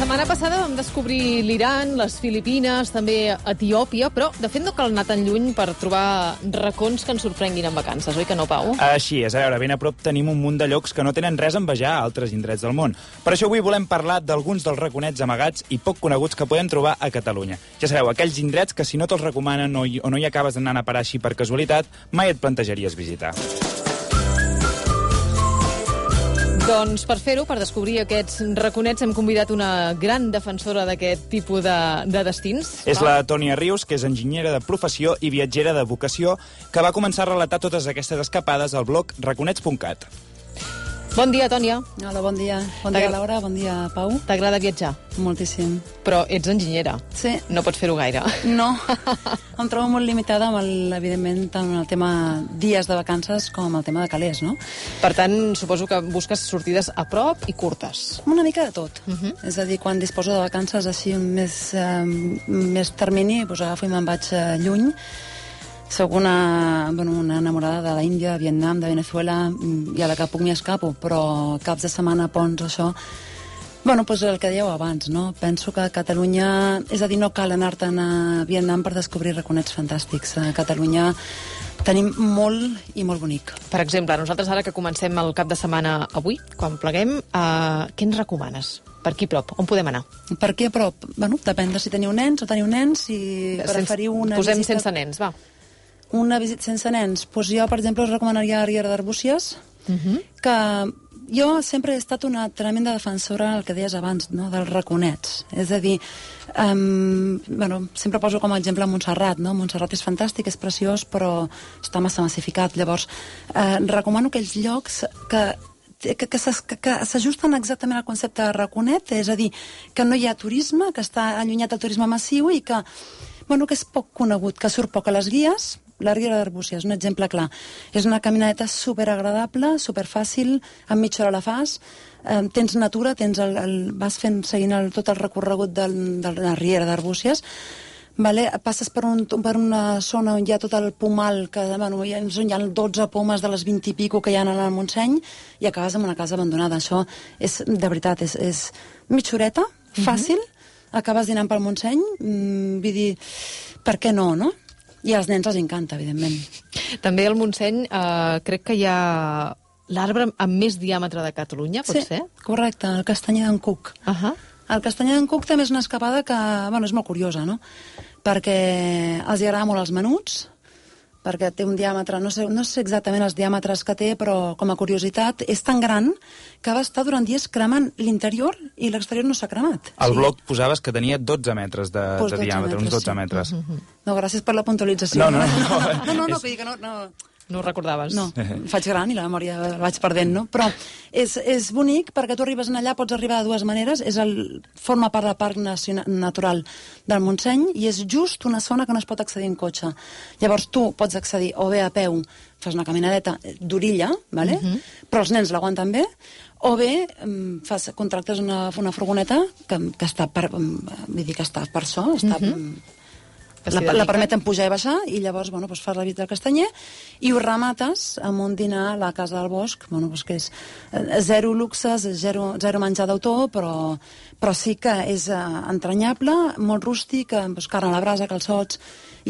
setmana passada vam descobrir l'Iran, les Filipines, també Etiòpia, però de fet no cal anar tan lluny per trobar racons que ens sorprenguin en vacances, oi que no, Pau? Així és. A veure, ben a prop tenim un munt de llocs que no tenen res a envejar a altres indrets del món. Per això avui volem parlar d'alguns dels raconets amagats i poc coneguts que podem trobar a Catalunya. Ja sabeu, aquells indrets que si no te'ls recomanen o no hi acabes d'anar a parar així per casualitat, mai et plantejaries visitar. Doncs per fer-ho, per descobrir aquests raconets, hem convidat una gran defensora d'aquest tipus de destins. És la Tònia Rius, que és enginyera de professió i viatgera de vocació, que va començar a relatar totes aquestes escapades al blog raconets.cat. Bon dia, Tònia. Hola, bon dia. Bon dia, Laura. Bon dia, Pau. T'agrada viatjar? Moltíssim. Però ets enginyera. Sí. No pots fer-ho gaire. No. Em trobo molt limitada amb, evidentment, tant el tema dies de vacances com el tema de calés, no? Per tant, suposo que busques sortides a prop i curtes. Una mica de tot. És a dir, quan disposo de vacances així més termini, doncs agafo i me'n vaig lluny. Soc una enamorada de la Índia, de Vietnam, de Venezuela, i a la que puc m'hi escapo, però caps de setmana, ponts, això... Doncs el que dèieu abans, no? Penso que a Catalunya... És a dir, no cal anar-te'n a Vietnam per descobrir raconets fantàstics. A Catalunya tenim molt i molt bonic. Per exemple, nosaltres ara que comencem el cap de setmana avui, quan pleguem, què ens recomanes? Per aquí prop? On podem anar? Per aquí a prop? Depèn de si teniu nens o teniu nens, si preferiu una Posem visita... sense nens, va. Una visita sense nens. Doncs jo, per exemple, us recomanaria la Riera d'Arbúcies, que jo sempre he estat una tremenda defensora del que deies abans, no? Dels raconets. És a dir, sempre poso com a exemple Montserrat, no? Montserrat és fantàstic, és preciós, però està massa massificat. Llavors, recomano aquells llocs que s'ajusten exactament al concepte de raconet, és a dir, que no hi ha turisme, que està allunyat del turisme massiu i que és poc conegut, que surt poc a les guies. La Riera d'Arbúcies, un exemple clar. És una caminadeta superagradable, superfàcil, en mitja hora la fas, tens natura, vas seguint tot el recorregut de la Riera d'Arbúcies, passes per una zona on hi ha tot el pomal, on hi ha 12 pomes de les 20 i pico que hi ha al Montseny, i acabes en una casa abandonada. Això és, de veritat, és mitja horeta, fàcil, acabes dinant pel Montseny, vull dir, per què no, no? I als nens els encanta, evidentment. També al Montseny crec que hi ha l'arbre amb més diàmetre de Catalunya, pot ser? Sí, correcte, el castanyer d'en Cuc. El castanyer d'en Cuc també és una escapada que, és molt curiosa, no? Perquè els agrada molt els menuts, perquè té un diàmetre, no sé exactament els diàmetres que té, però com a curiositat, és tan gran que va estar durant dies cremant l'interior i l'exterior no s'ha cremat. Al blog posaves que tenia 12 metres de diàmetre, uns 12 metres. No, gràcies per la puntualització. No, vull dir que no... No ho recordaves. No, em faig gran i la memòria la vaig perdent, no? Però és bonic perquè tu arribes allà, pots arribar de dues maneres, forma part del Parc Natural del Montseny i és just una zona que no es pot accedir en cotxe. Llavors tu pots accedir o bé a peu, fas una caminadeta d'orilla, però els nens l'aguanten bé, o bé contractes una furgoneta que està per això, la permeten pujar i baixar i llavors fas la visita al castanyer i ho remates amb un dinar a la Casa del Bosc, que és zero luxes, zero menjar d'autor, però sí que és entranyable, molt rústic, carn a la brasa, calçots,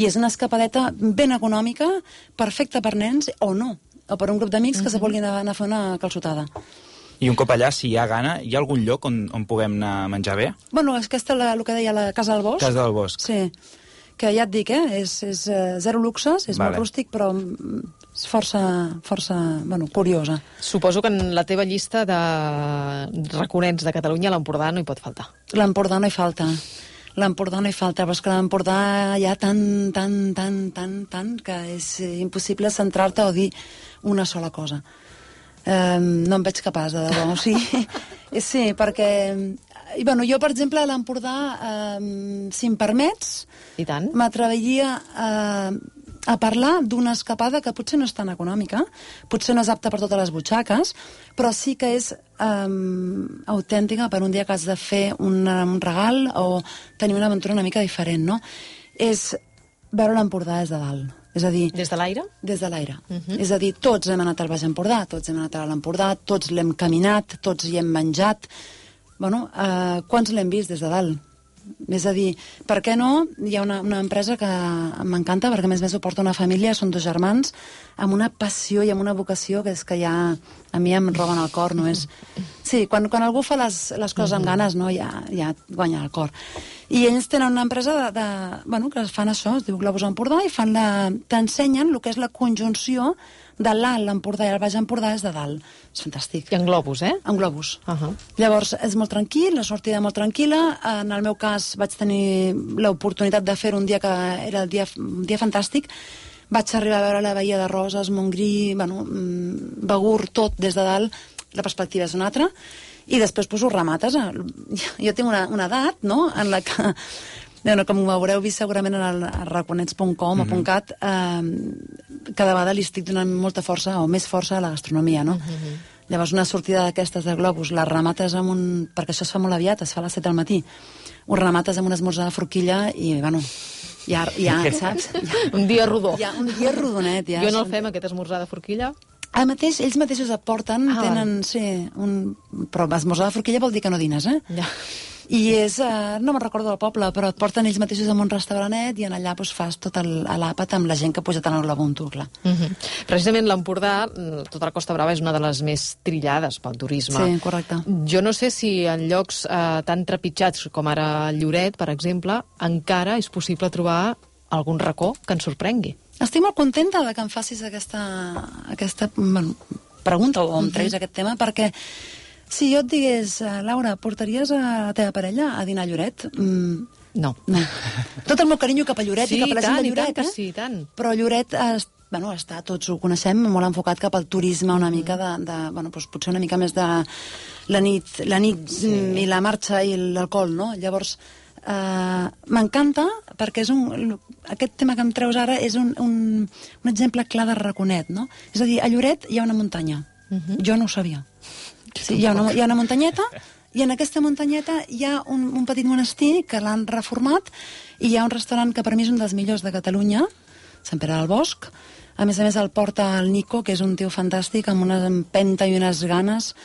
i és una escapadeta ben econòmica, perfecta per nens o no, o per un grup d'amics que se vulguin anar a fer una calçotada. I un cop allà, si hi ha gana, hi ha algun lloc on puguem anar a menjar bé? És que el que deia la Casa del Bosc. Casa del Bosc. Sí. Que ja et dic, és zero luxes, és molt rústic, però és força curiosa. Suposo que en la teva llista de raconets de Catalunya l'Empordà no hi pot faltar. L'Empordà no hi falta. Però és que l'Empordà hi ha tant, que és impossible centrar-te o dir una sola cosa. No em veig capaç, de debò. Sí, perquè... jo, per exemple, a l'Empordà, si em permets, m'atreviria a parlar d'una escapada que potser no és tan econòmica, potser no és apta per totes les butxaques, però sí que és autèntica per un dia que has de fer un regal o tenir una aventura una mica diferent, no? És veure l'Empordà des de dalt. És a dir... Des de l'aire? Des de l'aire. És a dir, tots hem anat al Baix Empordà, tots hem anat a l'Empordà, tots l'hem caminat, tots hi hem menjat, quants l'hem vist des de dalt? És a dir, per què no? Hi ha una empresa que m'encanta, perquè a més ho porta una família, són 2 germans, amb una passió i amb una vocació que és que ja a mi em roben el cor, no és... Sí, quan algú fa les coses amb ganes, no, ja guanya el cor. I ells tenen una empresa que fan això, es diu Globus Empordà, i t'ensenyen el que és la conjunció de l'Alt Empordà i el Baix Empordà és de dalt. És fantàstic. I en globus, En globus. Llavors, és molt tranquil, la sortida molt tranquil·la. En el meu cas, vaig tenir l'oportunitat de fer un dia que era un dia fantàstic. Vaig arribar a veure la Baía de Roses, Montgrí, Begur, tot des de dalt. La perspectiva és una altra. I després ho remates. Jo tinc una edat, no?, en la que... com ho haureu vist segurament en el raconets.com o .cat, cada vegada li estic donant molta força o més força a la gastronomia, no? Llavors una sortida d'aquestes de globus la remates amb perquè això es fa molt aviat, es fa a les 7 del matí, ho remates amb un esmorzar de forquilla i, ja saps? Un dia rodó. Un dia rodonet, ja. Jo no el fem, aquest esmorzar de forquilla. Ells mateixos aporten, tenen, sí, però esmorzar de forquilla vol dir que no dines, Ja. I és, no me'n recordo del poble, però et porten ells mateixos a un restaurantet i en allà fas tot l'àpat amb la gent que ha pujat en el globunto, clar. Precisament l'Empordà, tota la Costa Brava, és una de les més trillades pel turisme. Sí, correcte. Jo no sé si en llocs tan trepitjats com ara Lloret, per exemple, encara és possible trobar algun racó que ens sorprengui. Estic molt contenta de que em facis aquesta pregunta o em treguis aquest tema, perquè si jo et digués, Laura, portaries a la teva parella a dinar a Lloret? No. Tot el meu carinyo cap a Lloret i cap a la gent de Lloret, Sí, tant. Però Lloret està, tots ho coneixem, molt enfocat cap al turisme, una mica potser una mica més de la nit i la marxa i l'alcohol, no? Llavors, m'encanta perquè aquest tema que em treus ara és un exemple clar de raconet, no? És a dir, a Lloret hi ha una muntanya. Jo no ho sabia. Sí, hi ha una muntanyeta i en aquesta muntanyeta hi ha un petit monestir que l'han reformat i hi ha un restaurant que per mi és un dels millors de Catalunya, Sant Pere del Bosc. A més el porta el Nico, que és un tio fantàstic, amb una empenta i unes ganes.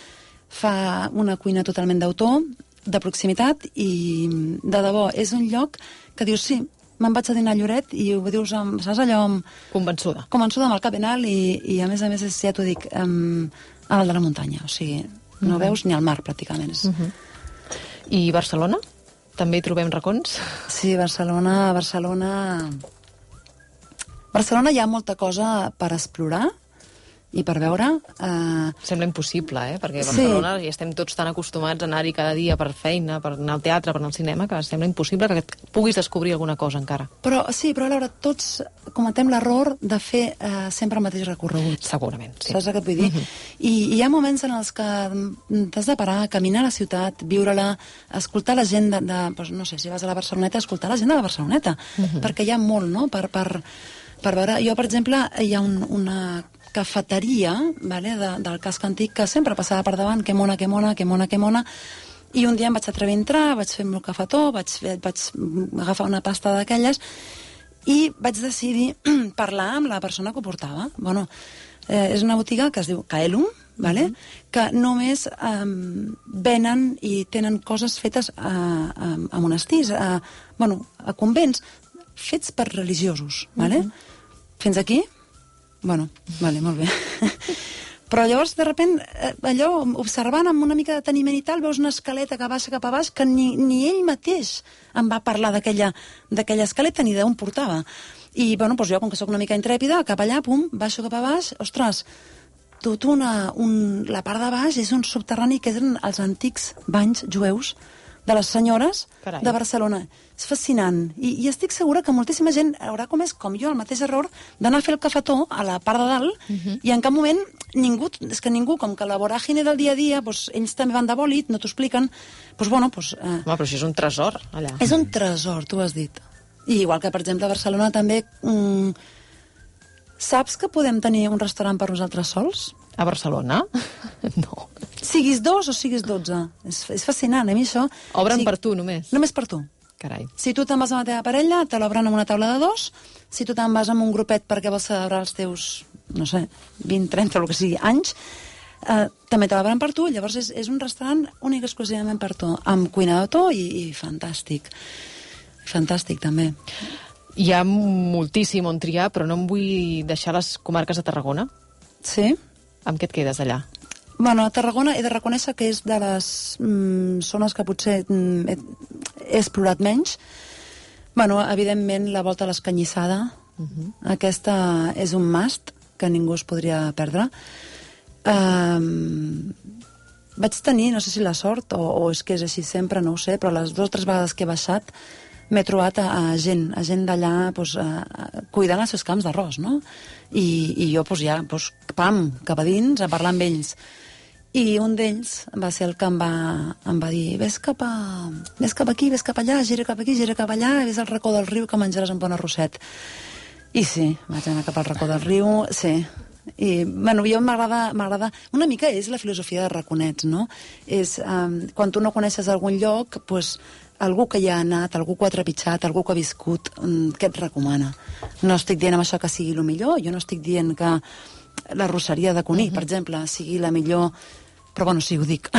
Fa una cuina totalment d'autor, de proximitat, i de debò, és un lloc que dius, sí, me'n vaig a dinar a Lloret, i ho dius, saps allò... Convençuda. Convençuda amb el cap ben alt, i a més, ja t'ho dic, a dalt de la muntanya, o sigui, no veus ni el mar, pràcticament. I Barcelona? També hi trobem racons? Sí, Barcelona hi ha molta cosa per explorar i per veure... Sembla impossible, perquè a Barcelona ja estem tots tan acostumats a anar-hi cada dia per feina, per anar al teatre, per anar al cinema, que sembla impossible que puguis descobrir alguna cosa encara. Però Laura, tots cometem l'error de fer sempre el mateix recorregut. Segurament, sí. Saps què et vull dir? I hi ha moments en els que t'has de parar, caminar a la ciutat, viure-la, escoltar la gent no sé, si vas a la Barceloneta, escoltar la gent de la Barceloneta, perquè hi ha molt, no?, per veure. Jo, per exemple, hi ha una cafeteria del casc antic que sempre passava per davant, que mona, i un dia em vaig atrevir a entrar, vaig fer el meu cafetó, vaig agafar una pasta d'aquelles i vaig decidir parlar amb la persona que ho portava. És una botiga que es diu Caelum, que només venen i tenen coses fetes a monestirs, a convents, fets per religiosos. Fins aquí? Molt bé. Però llavors, de sobte, allò, observant amb una mica de deteniment i tal, veus una escaleta que baixa cap a baix que ni ell mateix em va parlar d'aquella escaleta ni d'on portava. I, jo, com que sóc una mica intrèpida, cap allà, baixo cap a baix, ostres, la part de baix és un subterrani que eren els antics banys jueus de les senyores de Barcelona. És fascinant. I estic segura que moltíssima gent haurà comès, com jo, el mateix error d'anar a fer el cafetó a la part de dalt i en cap moment ningú, com que la voràgine del dia a dia, ells també van de bòlit, no t'ho expliquen, Home, però això és un tresor, allà. És un tresor, tu has dit. I igual que, per exemple, a Barcelona també... Saps que podem tenir un restaurant per nosaltres sols? A Barcelona? No. Siguis 2 o siguis 12. És fascinant, a mi això... Obren per tu, només? Només per tu. Carai. Si tu te'n vas amb la teva parella, te l'obren amb una taula de 2. Si tu te'n vas amb un grupet perquè vols celebrar els teus, no sé, 20, 30, el que sigui, anys, també treballen per tu, llavors és un restaurant únic exclusivament per tu, amb cuina d'autor i fantàstic. Fantàstic, també. Hi ha moltíssim on triar, però no em vull deixar les comarques de Tarragona. Sí? Amb què et quedes allà? Bueno, a Tarragona he de reconèixer que és de les zones que potser he explorat menys. Bueno, evidentment, la volta a l'Escanyissada. Aquesta és un must que ningú es podria perdre. Vaig tenir, no sé si la sort, o és que és així sempre, no ho sé, però les 2 o 3 vegades que he baixat m'he trobat a gent d'allà cuidant els seus camps d'arròs, no? I jo pam, cap a dins, a parlar amb ells. I un d'ells va ser el que em va dir ves cap aquí, ves cap allà, gira cap aquí, gira cap allà, ves al racó del riu que menjaràs un bon arrosset. I sí, vaig anar cap al racó del riu, sí. I, bueno, jo m'agrada... Una mica és la filosofia de raconets, no? És, quan tu no coneixes algun lloc, doncs, algú que hi ha anat, algú que ho ha trepitjat, algú que ha viscut, què et recomana? No estic dient amb això que sigui el millor, jo no estic dient que la rosseria de Cuní, per exemple, sigui la millor... Però, bueno, sí, ho dic.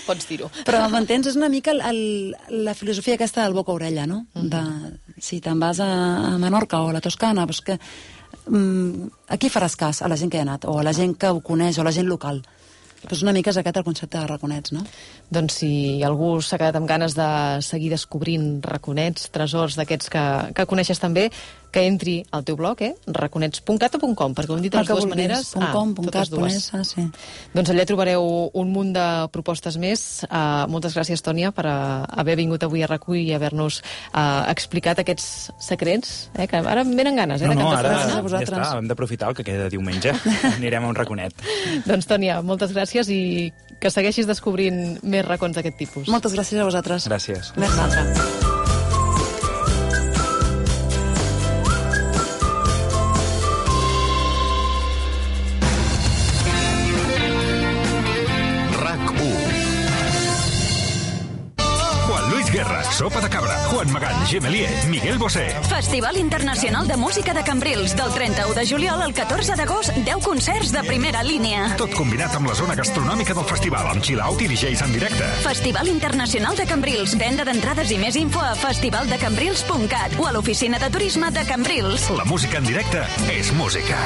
Pots dir-ho. Però, m'entens? És una mica la filosofia aquesta del boca-orella, no? Si te'n vas a Menorca o a la Toscana, doncs que... a qui faràs cas? A la gent que hi ha anat, o a la gent que ho coneix, o a la gent local. Doncs una mica és aquest el concepte de raconets, no? Doncs si algú s'ha quedat amb ganes de seguir descobrint raconets, tresors d'aquests que coneixes també, que entri al teu blog, raconets.cat o .com, perquè ho hem dit de les dues maneres. .com, totes dues. sí. Doncs allà trobareu un munt de propostes més. Moltes gràcies, Tònia, per haver vingut avui a RAC1 i haver-nos explicat aquests secrets, que ara em venen ganes, de cap de ara setmana. ja està, hem d'aprofitar el que queda de diumenge. Anirem a un raconet. Doncs, Tònia, moltes gràcies i que segueixis descobrint més racons d'aquest tipus. Moltes gràcies a vosaltres. Gràcies. Més l'altre. Sopa de Cabra, Juan Magán, Gemelier, Miguel Bosé. Festival Internacional de Música de Cambrils, del 31 de juliol al 14 d'agost, 10 concerts de primera línia. Tot combinat amb la zona gastronòmica del festival, amb chill-out i DJs en directe. Festival Internacional de Cambrils, venda d'entrades i més info a festivaldecambrils.cat o a l'oficina de turisme de Cambrils. La música en directe és música.